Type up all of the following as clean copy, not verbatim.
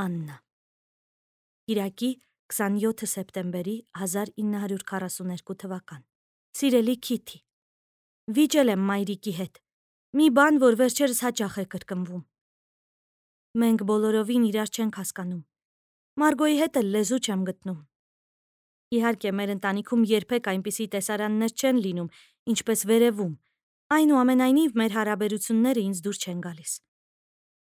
Աննա Կիրակի 27 սեպտեմբերի 1942 թվական Սիրելի Քիթի, վիճել եմ մայրիկի հետ, մի բան, որ վերջերս հաճախ է կրկնվում: Մենք բոլորովին իրար չենք հասկանում, Մարգոյի հետ էլ լեզու չեմ գտնում: Իհարկե մեր ընտանիքում երբեք այնպիսի տեսարաններ չեն լինում, ինչպես վերևում, այնուամենայնիվ մեր հարաբերությունները ինձ դուր չեն գալիս: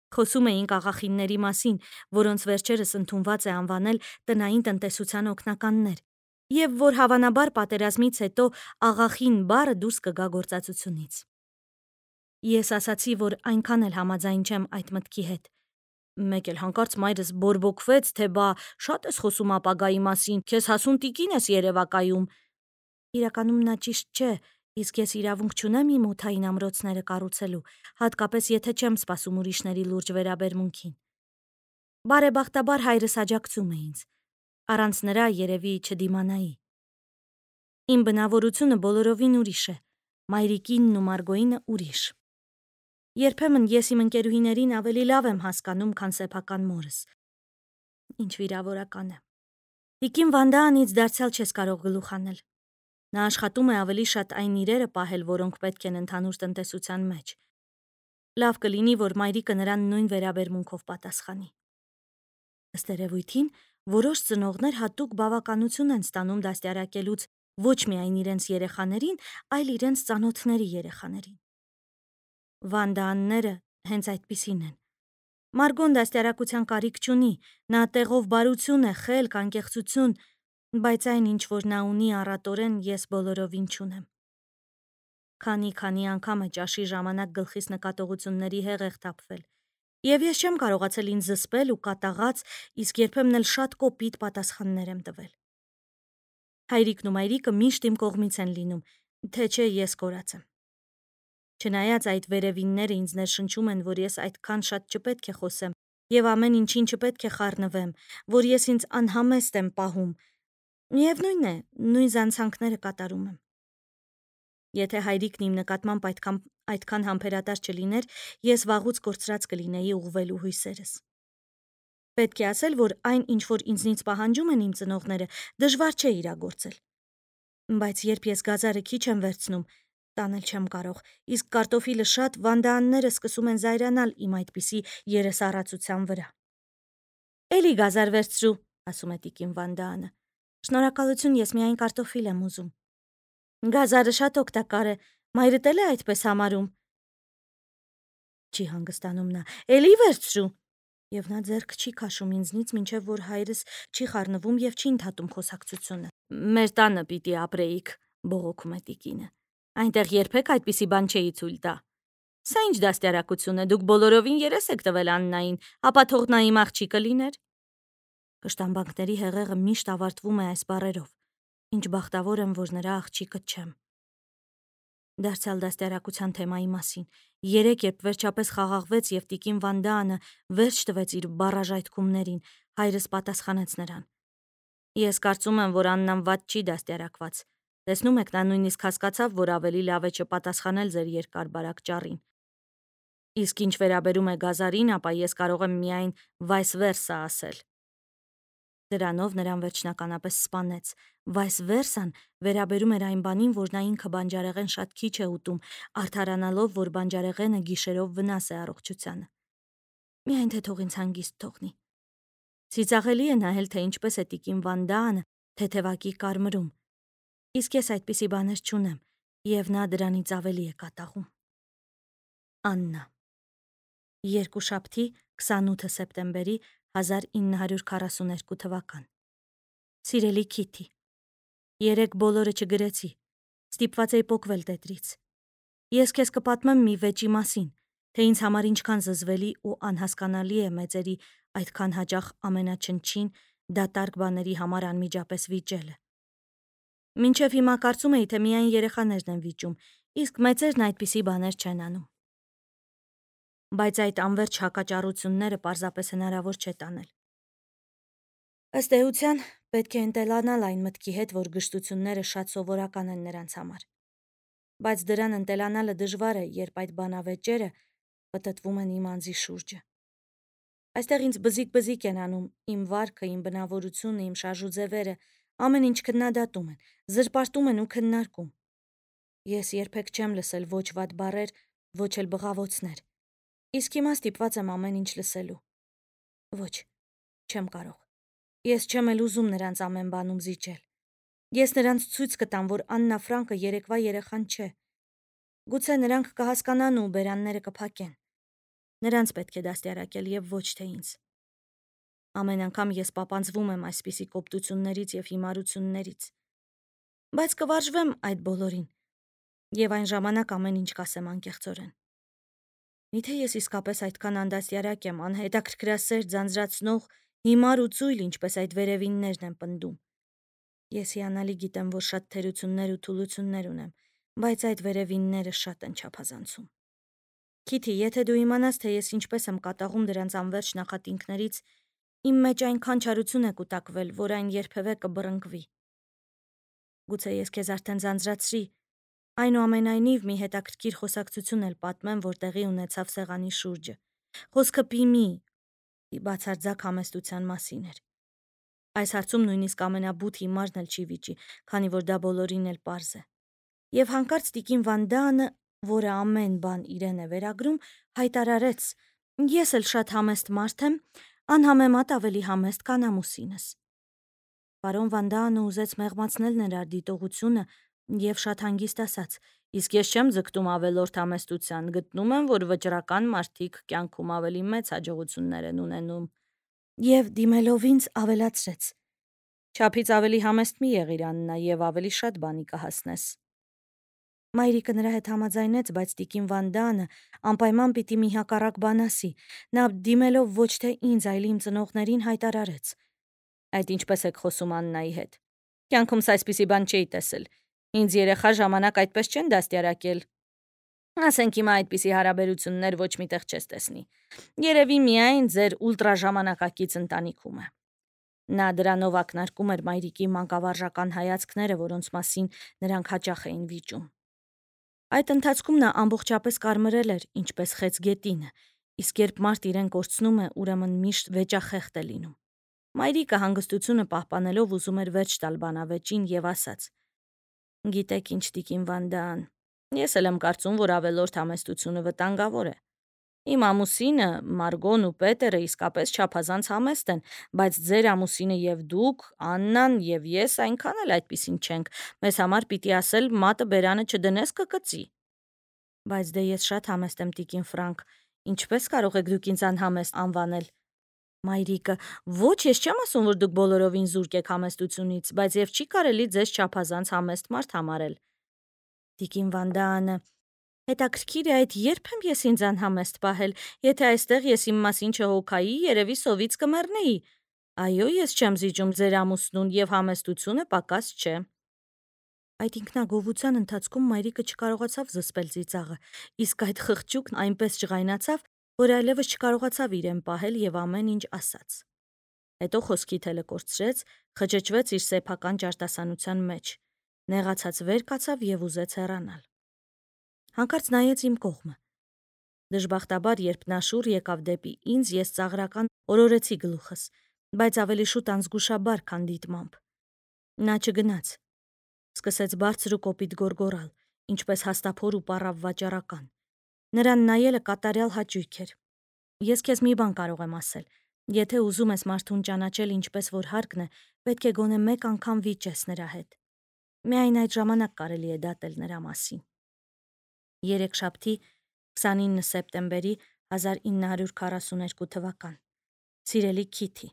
Խոսում էինք աղախինների մասին, որոնց վերջերս ընդունված է անվանել տնային տնտեսության օգնականներ, և որ հավանաբար պատերազմից հետո աղախին բառը դուրս կգա գործածությունից: Ես ասացի, որ այնքան էլ համաձայն չեմ այդ մտքի հետ, մեկ էլ հանկարծ մայրս բորբոքվեց, թե բա շատ ես խոսում ապագայի մասին, քեզ հասուն տիկին ես երևակայում: Իրականում նա ճիշտ չէ, իսկ ես իրավունք չունեմ իմ օդային ամրոցները կառուցելու, հատկապես եթե չեմ սպասում ուրիշների լուրջ վերաբերմունքին: Բարեբախտաբար հայրս աջակցում է ինձ, առանց նրա երևի չդիմանայի: Իմ բնավորությունը բոլորովին ուրիշ է, մայրիկինն ու Մարգոյինը ուրիշ: Երբեմն ես իմ ընկերուհիներին ավելի լավ եմ հասկանում, քան սեփական մորս: Ինչ վիրավորական է: Տիկին Վանդաանից դարձյալ չես կարող գլուխ հանել: Նա աշխատում է ավելի շատ այն իրերը պահել, որոնք պետք են ընդհանուր տնտեսության մեջ: Լավ կլինի, որ մայրիկը նրան նույն վերաբերմունքով պատասխանի: Ըստ երևույթին, որոշ ծնողներ հատուկ բավականություն են ստանում դաստիարակելուց ոչ միայն իրենց երեխաներին, այլ իրենց ծանոթների երեխաներին: Վանդաանները հենց այդպիսին են: Մարգոն դաստիարակության կարիք չունի, նա տեղով բարություն է, խելք, անկեղծություն, բայց այն, ինչ որ նա ունի առատորեն, ես բոլորովին չունեմ: Քանի անգամ է ճաշի ժամանակ գլխիս նկատողությունների հեղեղ թափվել, և ես չեմ կարողացել ինձ զսպել ու կատաղած, իսկ երբեմն էլ շատ կոպիտ պատասխաններ եմ տվել: Հայրիկն ու մայրիկը միշտ իմ կողմից են լինում, թե չէ ես կորած եմ: Չնայած այդ վերևինները ինձ ներշնչում են, որ ես այդքան շատ չպետք է խոսեմ և ամեն ինչին չպետք է խառնվեմ, որ ես ինձ անհամեստ եմ պահում, միևնույն է, նույն զանցանքները կատարում եմ: Եթե հայրիկն իմ նկատմամբ այդքան համբերատար չլիներ, ես վաղուց կորցրած կլինեի ուղղվելու հույսերս: Պետք է ասել, որ այն, ինչ որ ինձնից պահանջում են իմ ծնողները, դժվար չէ իրագործել: Բայց երբ ես գազարը քիչ եմ վերցնում, տանել չեմ կարող, իսկ կարտոֆիլը շատ, Վանդաանները սկսում են զայրանալ իմ այդպիսի երեսառածության վրա: «Էլի գազար վերցրու», ասում է տիկին Վանդաանը: «Շնորհակալություն, ես միայն կարտոֆիլ եմ ուզում»: «Գազարը շատ օգտակար է, մայրդ էլ է այդպես համարում»: Չի հանգստանում նա: «Էլի վերցրու»: Եվ նա ձեռք չի քաշում ինձնից, մինչև որ հայրս չի խառնվում և չի ընդհատում խոսակցությունը: «Մեր տանը պիտի ապրեիք», բողոքում է տիկինը: «Այնտեղ երբեք այդպիսի բան չէի թույլ տա»: «Սա ինչ դաստիարակություն է, դուք բոլորովին երես եք տվել Աննային, ապա թող նա իմ աղջիկը լիներ»: Կշտամբանքների հեղեղը միշտ ավարտվում է այս բառերով: Ինչ բախտավոր եմ, որ նրա աղջիկը չեմ: Դարձյալ դաստիարակության թեմայի մասին: Երեկ, երբ վերջապես խաղաղվեց և տիկին Վանդաանը վերջ տվեց իր բառաժայթքումներին, հայրս պատասխանեց նրան: «Ես կարծում եմ, որ Աննան վատ չի դաստիարակված: Տեսնում եք, նա նույնիսկ հասկացավ, որ ավելի լավ է չպատասխանել ձեր երկար-բարակ ճառին: Իսկ ինչ վերաբերում է գազարին, ապա ես կարող եմ միայն վայս վերսա ասել»: Դրանով նրան վերջնականապես սպանեց: Վայս վերսան վերաբերում էր այն բանին, որ նա ինքը բանջարեղեն շատ քիչ է ուտում, արդարանալով, որ բանջարեղենը գիշերով վնաս է առողջությանը: Միայն թե թող ինձ հանգիստ թողնի: Ծիծաղելի է նայել, թե ինչպես է տիկին Վանդաանը թեթևակի կարմրում, իսկ ես այդպիսի բաներ չունեմ, և նա դրանից ավելի է կատաղում: Աննա Երկուշաբթի 28 սեպտեմբերի 1942 թվական Սիրելի Քիթի, երեկ բոլորը չգրեցի, ստիպված էի պոկվել տետրից: Ես քեզ կպատմեմ մի վեճի մասին, թե ինձ համար ինչքան զզվելի ու անհասկանալի է մեծերի այդքան հաճախ ամենաչնչին, դատարկ բաների համար անմիջապես վիճելը: Մինչև հիմա կարծում էի, թե միայն երեխաներն են վիճում, իսկ մեծերն այդպիսի բաներ չեն անում: Բայց այդ անվերջ հակաճառությունները պարզապես հնարավոր չէ տանել: Ըստ էության, պետք է ընտելանալ այն մտքի հետ, որ գժտությունները շատ սովորական են նրանց համար: Բայց դրան ընտելանալը դժվար է, երբ այդ բանավեճերը պտտվում են իմ անձի շուրջը: Այստեղ ինձ բզիկ են անում, իմ վարքը, իմ բնավորությունը, իմ շարժուձևերը, ամեն ինչ քննադատում են, զրպարտում են ու քննարկում։ Ես երբեք չեմ լսել ոչ վատ բառեր, ոչ էլ բղավոցներ։ Իսկ հիմա ստիպված եմ ամեն ինչ լսելու։ Ոչ, չեմ կարող։ Ես չեմ էլ ուզում նրանց ամեն բանում զիջել։ Ես նրանց ցույց կտամ, որ Աննա Ֆրանկը երեկվա երեխան չէ։ Գուցե նրանք կհասկանան ու բերանները կփակեն։ Նրանց պետք է դաստիարակել եւ ոչ թե ինձ։ Ամեն անգամ ես պապանձվում եմ այսպիսի կոպտություններից եւ հիմարություններից։ Բայց կվարժվեմ այդ բոլորին եւ այն ժամանակ ամեն ինչ կասեմ անկեղծորեն։ Միթե ես իսկապես այդքան անդաստիարակ եմ, անհետաքրքրասեր, ձանձրացնող, հիմար ու ծույլ, ինչպես այդ վերևիններն են պնդում։ Ես հիանալի գիտեմ, որ շատ թերություններ ու թուլություններ ունեմ, բայց այդ վերևինները շատ են չափազանցում։ Քիթի, եթե դու իմանաս, թե ես ինչպես եմ կատաղում դրանց անվերջ նախատինքներից, իմ մեջ այնքան չարություն է կուտակվել, որ այն երբևէ կբռնկվի։ Գուցե ես քեզ արդեն ձանձրացրի, այնուամենայնիվ մի հետաքրքիր խոսակցություն էլ պատմեմ, որ տեղի ունեցավ սեղանի շուրջը։ Խոսքը Պիմի բացարձակ համեստության մասին էր։ Այս հարցում նույնիսկ ամենաբութ հիմարն էլ չի վիճի, քանի որ դա բոլորին էլ պարզ է։ Եվ հանկարծ տիկին Վան Դանը, որը ամեն բան իրեն է վերագրում, հայտարարեց. «Ես էլ շատ համեստ մարդ եմ, անհամեմատ ավելի համեստ, քան ամուսինս»։ Պարոն Վան Դանը ուզեց մեղմացնել նրա դիտողությունը եւ շատ հանգիստ ասաց. «Իսկ ես չեմ ձգտում ավելորդ համեստության, գտնում եմ, որ վճռական մարդիկ կյանքում ավելի մեծ հաջողություններ են ունենում»։ Եվ դիմելով ինձ ավելացրեց. «Չափից ավելի համեստ մի եղիր, Աննա, եւ ավելի շատ բանի կհասնես»։ Մայրիկը նրա հետ համաձայնեց, բայց տիկին Վան Դանը անպայման պիտի մի հակառակ բան ասի։ Նա դիմելով ոչ թե ինձ, այլ իմ ծնողներին հայտարարեց. «Այդ ինչպես եք խոսում Աննայի հետ։ Կյանքումս այսպիսի բան չէի տեսել։ Ինձ երեխա ժամանակ այդպես չեն դաստիարակել։ Ասենք հիմա այդպիսի հարաբերություններ ոչ միտեղ չես տեսնի։ Երևի միայն ձեր ուլտրաժամանակակից ընտանիքում է»։ Նա դրանով ակնարկում էր մայրիկի մանկավարժական հայացքները, որոնց մասին նրանք հաճախ էին վիճում։ Այդ ընթացքում նա ամբողջապես կարմրել էր, ինչպես խեց գետինը, իսկ երբ մարդ իրեն կորցնում է, ուրեմն միշտ վեճախեղտ է լինում։ Մայրիկը հանգստությունը պահպանելով ուզում էր վերջ տալ բանավեճին եւ ասաց. «Գիտեք ինչ, տիկին Վան Դան, ես էլ եմ կարծում, որ ավելորդ համեստությունը վտանգավոր է։ Իմ ամուսինը, Մարգոն ու Պետերը իսկապես չափազանց համեստ են, բայց ձեր ամուսինը եւ դուք, Աննան եւ ես այնքան էլ այդպիսին չենք։ Մեզ համար պիտի ասել մատը բերանը չդնես կկծի»։ Բայց դե ես շատ համեստ եմ, տիկին Ֆրանկ, ինչպես կարող եք դուք ինձ անհամեստ անվանել։ Մայրիկը. «Ոչ, ես չեմ ասում, որ դուք բոլորովին զուրկ եք համեստությունից, բայց եւ չի կարելի ձեզ չափազանց համեստ մարդ համարել»։ Տիկին Վան Դանը. «Հետաքրքիր է, այդ երբ եմ ես ինձ անհամեստ պահել, եթե այստեղ ես իմ մասին չհոգայի, երևի սովից կմեռնեի։ Այո, ես չեմ զիջում ձեր ամուսնուն եւ համեստությունը պակաս չէ»։ Այդ ինքնագովության ընթացքում մայրիկը չկարողացավ զսպել ծիծաղը, իսկ այդ խղճուկն այնպես ջղայնացավ, որ այլևս չկարողացավ իրեն պահել եւ ամեն ինչ ասաց։ Հետո խոսքի թելը կորցրեց, խճճվեց իր սեփական ճարտասանության մեջ, նեղացած վեր կացավ եւ ուզեց հեռանալ։ Հանկարծ նայեց իմ կողմը։ Դժբախտաբար, երբ նա շուռ եկավ դեպի ինձ, ես ծաղրական օրորեցի գլուխս, բայց ավելի շուտ անզգուշաբար, քան դիտմամբ։ Նա չգնաց։ Սկսեց բարձր ու կոպիտ գոռգոռալ, ինչպես հաստափոր ու պառավ վաճառական։ Նրան նայելը կատարյալ հաճույք էր։ Ես քեզ մի բան կարող եմ ասել. եթե ուզում ես մարդուն ճանաչել ինչպես որ հարկն է, պետք է գոնե մեկ անգամ վիճես նրա հետ։ Միայն այդ ժամանակ կարելի է դատել նրա մասին։ Երեքշաբթի 29 սեպտեմբերի 1942 թվական։ Սիրելի Քիթի,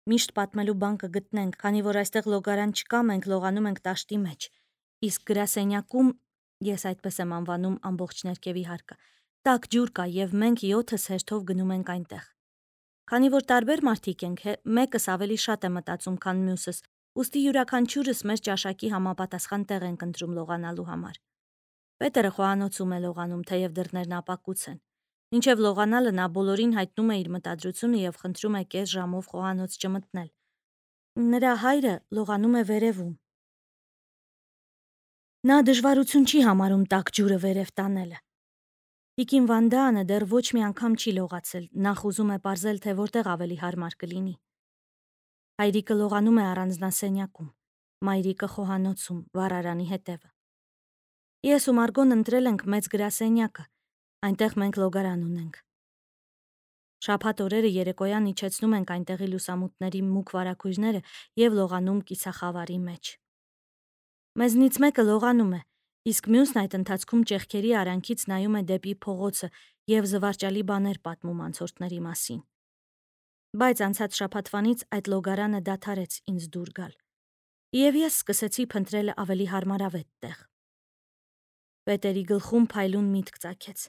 միշտ պատմելու բան կգտնենք, քանի որ այստեղ լոգարան չկա, մենք լողանում ենք տաշտի մեջ, իսկ գրասենյակում, ես այդպես եմ անվանում ամբողջ ներքևի հարկը, տաք ջուր կա եւ մենք 7-ս հերթով գնում ենք այնտեղ։ Քանի որ տարբեր մարդիկ ենք, մեկս ավելի շատ է մտածում, քան մյուսս, ուստի յուրաքանչյուրս մեր ճաշակի համապատասխան տեղ ենք ընտրում լողանալու համար։ Պետերը խոհանոցում է լողանում, թեև դռներն ապակուց են։ Մինչև լողանալը նա բոլորին հայտնում է իր մտադրությունը եւ խնդրում է կես ժամով խոհանոց չմտնել։ Նրա հայրը լողանում է վերևում։ Նա դժվարություն չի համարում տաք ջուրը վերև տանելը։ Տիկին Վանդանը դեռ ոչ մի անգամ չի լողացել, նախ ուզում է պարզել, թե որտեղ ավելի հարմար կլինի։ Հայրիկը լողանում է առանձնասենյակում, մայրիկը խոհանոցում, վառարանի հետևը։ Ես ու Մարգոն ընտրել ենք մեծ գրասենյակը, այնտեղ մենք լոգարան ունենք։ Շաբաթ օրերը երեկոյան իջեցնում ենք այնտեղի լուսամուտների մուգ վարագույրները և լողանում կիսախավարի մեջ։ Մեզնից մեկը լողանում է, իսկ մյուսն այդ ընթացքում ճեղքերի արանքից նայում է դեպի փողոցը և զվարճալի բաներ պատմում անցորդների մասին։ Բայց անցած շաբաթվանից այդ լոգարանը դադարեց ինձ դուր գալ, և ես սկսեցի փնտրել ավելի հարմարավետ տեղ։ Պետերի գլխում փայլուն միտք ծագեց։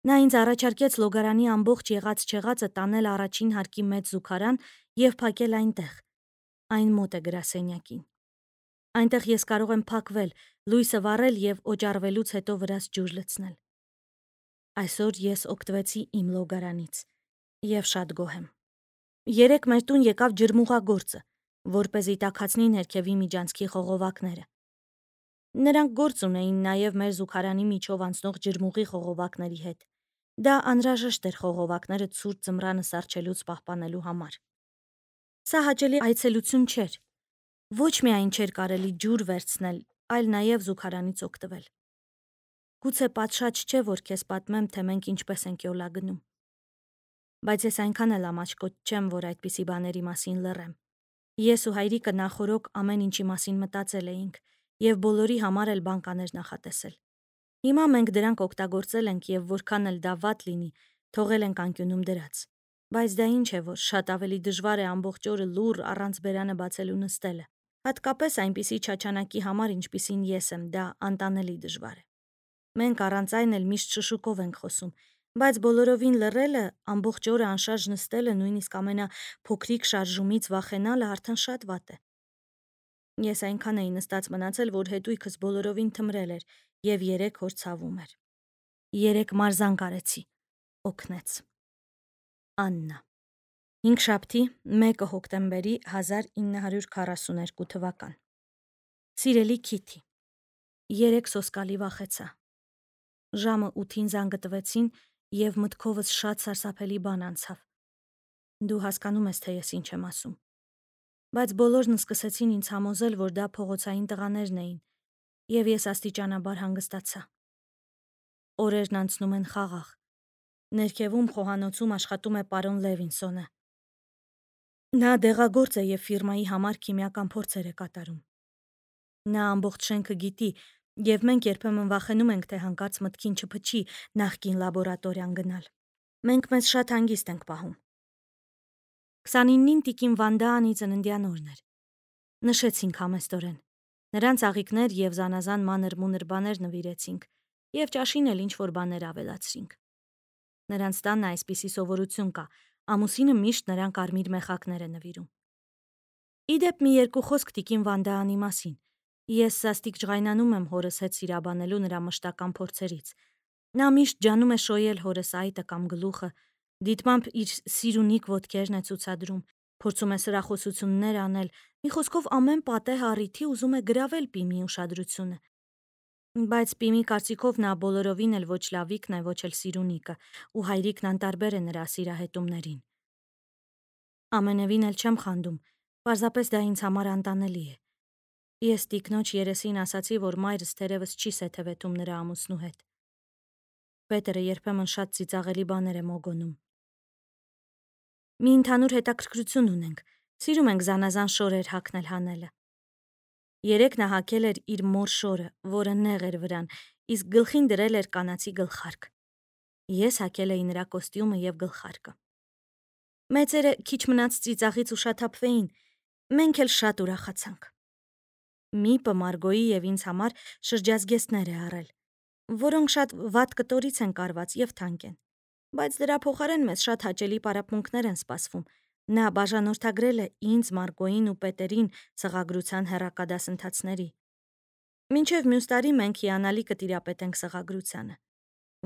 Նա ինձ առաջարկեց լոգարանի ամբողջ եղած-չեղածը տանել առաջին հարկի մեծ զուգարան և փակել այնտեղ։ Այն մոտ է գրասենյակին։ Այնտեղ ես կարող եմ փակվել, լույսը վառել և օճառվելուց հետո վրաս ջուր լցնել։ Այսօր ես օգտվեցի իմ լոգարանից և շատ գոհ եմ։ Երեկ մեր տուն եկավ ջրմուղագործը, որպեսզի տաքացնի ներքևի միջանցքի խողովակները։ Նրանք գործ ունեին նաև մեր զուգարանի միջով անցնող ջրմուղի խողովակների հետ։ Դա անհրաժեշտ էր խողովակները ցուրտ ձմռանը սառչելուց պահպանելու համար։ Սա հաճելի այցելություն չէր։ Ոչ միայն չէր կարելի ջուր վերցնել, այլ նաև զուգարանից օգտվել։ Գուցե պատշաճ չէ, որ քեզ պատմեմ, թե մենք ինչպես ենք յոլա գնում։ Բայց ես այնքան էլ ամաչկոտ չեմ, որ այդպիսի բաների մասին լռեմ։ Ես ու հայրիկը նախօրոք ամեն ինչի մասին մտածել էինք և բոլորի համար էլ բանկաներ նախատեսել։ Հիմա մենք դրանք օգտագործել ենք և որքան էլ դա վատ լինի, թողել ենք անկյունում դրած։ Բայց դա ինչ է, որ շատ ավելի դժվար է ամբողջ օրը լուռ առանց բերանը բացելու նստելը։ Հատկապես այնպիսի չաչանակի համար, ինչպիսին ես եմ, դա անտանելի դժվար է։ Մենք առանց այն էլ միշտ շշուկով ենք խոսում, բայց բոլորովին լռելը, ամբողջ օրը անշարժ նստելը, նույնիսկ ամենափոքրիկ շարժումից վախենալը արդեն շատ վատ է։ Ես այնքան էի նստած մնացել, որ հետույքս բոլորովին թմրել էր և 3 օր ցավում էր։ 3 մարզանք արեցի։ Օգնեց։ Աննա։ 5շաբթի 1 հոկտեմբերի 1942 թվական։ Սիրելի Քիթի, 3 սոսկալի վախեցա։ Ժամը 8-ին զանգը տվեցին և մտքովս շատ սարսափելի բան անցավ։ Դու հասկանում ես, թե ես ինչ եմ ասում։ Բայց բոլորն սկսեցին ինձ համոզել, որ դա փողոցային տղաներն էին, և ես աստիճանաբար հանգստացա։ Օրերն անցնում են խաղաղ։ Ներքևում խոհանոցում աշխատում է պարոն Լևինսոնը։ Նա դեղագործ է և ֆիրմայի համար քիմիական փորձեր է կատարում։ Նա ամբողջ շենքը գիտի, և մենք երբեմն վախենում ենք, թե հանկարծ մտքին չփչի նախկին լաբորատորիան գնալ։ Մենք մեզ շատ հանգիստ ենք պահում։ 29-ին տիկին Վանդաանի ծննդյան օրն էր։ Նշեցինք համեստորեն։ Նրան ծաղիկներ և զանազան մանր-մունր բաներ նվիրեցինք և ճաշին էլ ինչ-որ բաներ ավելացրինք։ Նրանց տանը այսպիսի սովորություն կա, ամուսինը միշտ նրան կարմիր մեխակներ է նվիրում։ Ի դեպ, մի երկու խոսք տիկին Վանդաանի մասին։ Ես սաստիկ ջղայնանում եմ հորս հետ սիրաբանելու նրա մշտական փորձերից։ Նա միշտ ջանում է շոյել հորս այտը կամ գլուխը, դիտմամբ իր սիրունիկ ոտքերն է ցուցադրում, փորձում է սրախոսություններ անել, մի խոսքով ամեն պատեհ առիթի ուզում է գրավել Պիմի ուշադրությունը։ Բայց Պիմի կարծիքով նա բոլորովին էլ ոչ լավիկն է, ոչ էլ սիրունիկը, ու հայրիկն անտարբեր է նրա սիրահետումներին։ Ամենևին էլ չեմ խանդում, պարզապես դա ինձ համար անտանելի է։ Ես տիկնոջ երեսին ասացի, որ մայրս թերևս չի սեթևեթում նրա ամուսնու հետ։ Պետերը երբեմն շատ ծիծաղելի բաներ է մոգոնում։ Մի ընդհանուր հետաքրքրություն ունենք, սիրում ենք զանազան շորեր հագնել հանելը։ Երեկ նա հագել էր իր մոր շորը, որը նեղ էր վրան, իսկ գլխին դրել էր կանացի գլխարկ։ Ես հագել էի նրա կոստյումը և գլխարկը։ Մեծերը քիչ մնաց ծիծաղից ուշաթափվեին, մենք էլ շատ ուրախացանք։ Միպը Մարգոյի և ինձ համար շրջազգեստներ է առել, որոնք շատ վատ կտորից են կարված և թանկ են, բայց դրա փոխարեն մեզ շատ հաճելի պարապմունքներ են սպասվում։ Նա բաժանորդագրել է ինձ, Մարգոյին ու Պետերին սղագրության հեռակադասընթացների։ Մինչև մյուս տարի մենք հիանալի կտիրապետենք սղագրությանը։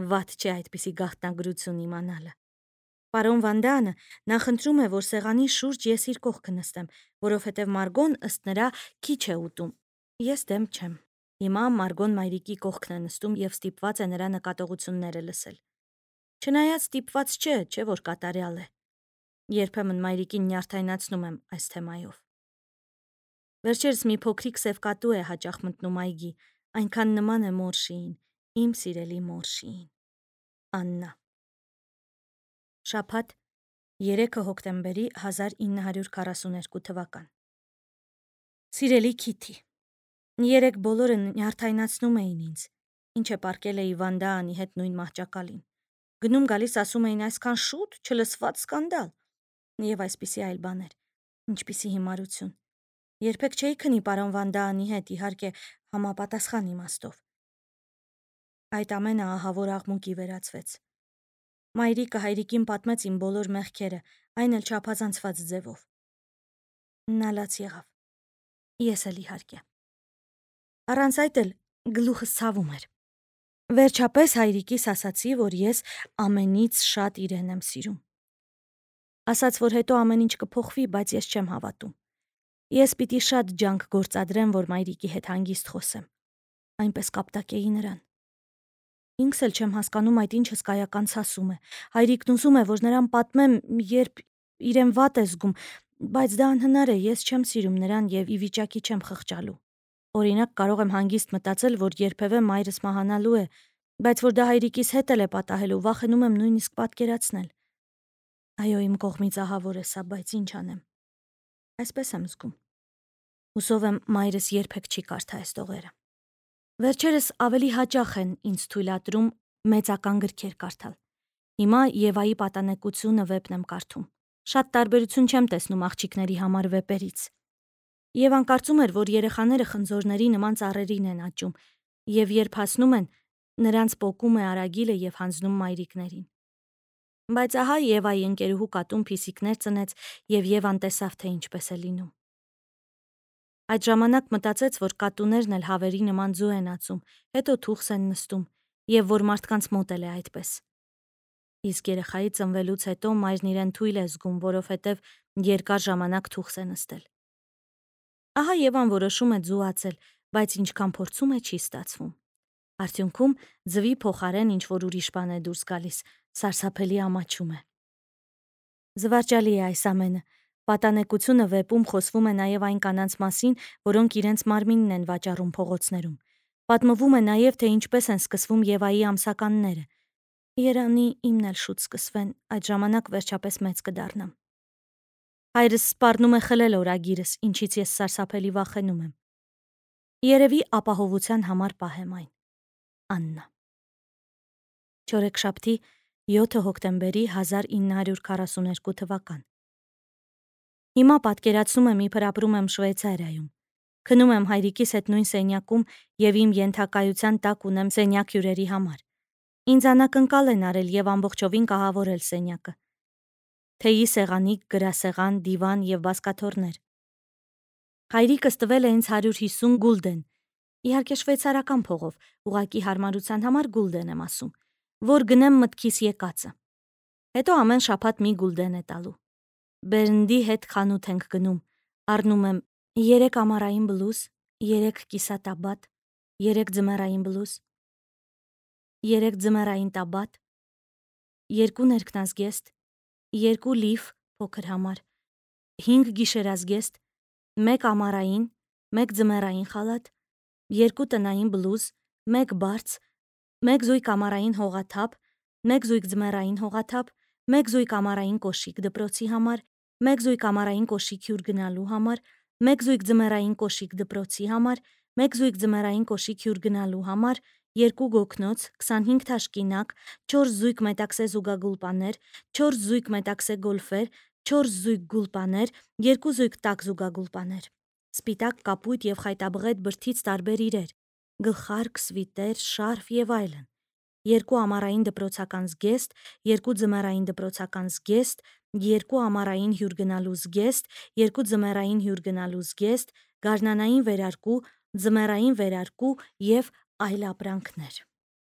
Վատ չէ այդպիսի գաղտնագրություն իմանալը։ Պարոն Վանդանը նախընտրում է, որ սեղանի շուրջ ես իր կողքը նստեմ, որովհետև Մարգոն ըստ նրա քիչ է ուտում։ Ես դեմ չեմ։ Հիմա Մարգոն մայրիկի կողքն է նստում և ստիպված է նրա նկատողությունները լսել։ Չնայած ստիպված չէ որ կատարյալ է։ Երբեմն մայրիկին նյարդայնացնում եմ այս թեմայով։ Վերջերս մի փոքրիկ սև կատու է հաճախ մտնում այգի, այնքան նման է Մորշիին, իմ սիրելի Մորշիին։ Աննա։ Շաբաթ 3 հոկտեմբերի 1942 թվական։ Սիրելի Քիթի, երեկ բոլորը նյարդայնացնում էին ինձ, ինչ է պառկել էի Վանդա Անի հետ նույն մահճակալին։ Գնում գալիս ասում էին այսքան շուտ, չլսված սկանդալ։ Եվ այսպիսի այլ բաներ, ինչպիսի հիմարություն։ Երբեք չէի քնի պարոն Վանդա Անի հետ, իհարկե համապատասխան իմաստով։ Այդ ամենը ահավոր աղմուկի վերածվեց։ Մայրիկը հայրիկին պատմեց իմ բոլոր մեղքերը, այն էլ չափազանցված ձևով։ Նա լաց եղավ։ Ես էլ իհարկե։ Առանց այդ էլ գլուխս ցավում էր։ Վերջապես հայրիկիս ասացի, որ ես ամենից շատ իրեն եմ սիրում։ Ասաց, որ հետո ամեն ինչ կփոխվի, բայց ես չեմ հավատում։ Ես պիտի շատ ջանք գործադրեմ, որ մայրիկի հետ հանգիստ խոսեմ։ Այնպես կապտակեի նրան։ Ինքս էլ չեմ հասկանում այդ ինչ հսկայական ցասում է։ Հայրիկն ուզում է, որ նրան պատմեմ, երբ իրեն վատ է զգում, բայց դա անհնար է, ես չեմ սիրում նրան եւ ի վիճակի չեմ խղճալու։ Օրինակ, կարող եմ հանգիստ մտածել, որ երբևէ մայրս մահանալու է, բայց որ դա հայրիկիս հետ էլ է պատահելու, վախենում եմ նույնիսկ պատկերացնել։ Այո, իմ կողմից ահավոր է սա, բայց ինչ անեմ։ Այսպես եմ զգում։ Հուսով եմ մայրս երբեք չի կարդա այս տողերը։ Վերջերս ավելի հաճախ են ինձ թույլատրում մեծական գրքեր կարդալ։ Հիմա Եվայի պատանեկությունը վեպն եմ կարդում։ Շատ տարբերություն չեմ տեսնում աղջիկների համար վեպերից։ Եվան կարծում էր, որ երեխաները խնձորների նման ծառերին են աճում, եւ երբ հասնում են, նրանց պոկում է արագիլը եւ հանձնում մայրիկներին։ Բայց ահա Եվայի ընկերուհու կատուն փիսիկներ ծնեց, եւ Եվան տեսավ, թե ինչպես է լինում։ Այդ ժամանակ մտածեց, որ կատուներն էլ հավերի նման ձու են ածում, հետո թուխս են նստում, եւ որ մարդկանց մոտ էլ է այդպես։ Իսկ երեխայի ծնվելուց հետո մայրն իրեն թույլ է զգում, որովհետեւ երկար ժամանակ թուխս է նստել։ Ահա Եվան որոշում է ձու ածել, բայց ինչքան փորձում է, չի ստացվում։ Արդյունքում ձվի փոխարեն ինչ-որ ուրիշ բան է դուրս գալիս, սարսափելի ամաչում է։ Զվարճալի է այս ամենը։ Պատանեկությունը վեպում խոսվում է նաև այն կանանց մասին, որոնք իրենց մարմինն են վաճառում փողոցներում։ Պատմվում է նաև, թե ինչպես են սկսվում Եվայի ամսականները։ Երանի իմն էլ շուտ սկսվեն, այդ ժամանակ վերջապես մեծ կդառնամ։ Հայրս սպառնում է խլել օրագիրս, ինչից ես սարսափելի վախենում եմ։ Երևի ապահովության համար պահեմ այն։ Աննա։ Չորեքշաբթի 7 հոկտեմբերի 1942 թվական։ Հիմա պատկերացնում եմ, իբր ապրում եմ Շվեյցարիայում։ Քնում եմ հայրիկիս հետ նույն սենյակում եւ իմ ենթակայության տակ ունեմ սենյակ հյուրերի համար։ Ինձ անակնկալ են արել եւ ամբողջովին կահավորել սենյակը։ Թեյի սեղանիկ, գրասեղան, դիվան եւ բազկաթոռներ։ Հայրիկս տվել է ինձ 150 գուլդեն։ Իհարկե շվեյցարական փողով, ուղղակի հարմարության համար գուլդեն եմ ասում, որ գնեմ մտքիս եկածը։ Հետո ամեն շաբաթ մի գուլդեն է տալու։ Բերնդի հետ խանութ ենք գնում, առնում եմ 3 ամառային բլուզ, 3 կիսատաբատ, 3 ձմեռային բլուզ, 3 ձմեռային տաբատ, 2 ներքնազգեստ, 2 լիֆ փոքր համար, 5 գիշերազգեստ, 1 ամառային, 1 ձմեռային խալաթ, 2 տնային բլուզ, 1 բարձ, 1 զույգ ամառային հողաթափ, 1 զույգ ձմեռային հողաթափ, 1 զույգ ամառային կոշիկ դպրոցի համար, 1 զույգ ամառային կոշիկ հյուր գնալու համար, 1 զույգ ձմեռային կոշիկ դպրոցի համար, 1 զույգ ձմեռային կոշիկ հյուր գնալու համար, 2 գոգնոց, 25 թաշկինակ, 4 զույգ մետաքսե զուգագուլպաներ, 4 զույգ մետաքսե գոլֆեր, 4 զույգ գուլպաներ, 2 զույգ տաք զուգագուլպաներ, սպիտակ, կապույտ եւ խայտաբղետ բրդից տարբեր իրեր, գլխարկ, սվիտեր, շարֆ եւ այլն, 2 ամառային դպրոցական զգեստ, 2 ձմեռային դպրոցական զգեստ, 2 ամառային հյուր գնալու զգեստ, 2 ձմեռային հյուր գնալու զգեստ, գարնանային վերարկու, ձմեռային վերարկու եւ այլ ապրանքներ։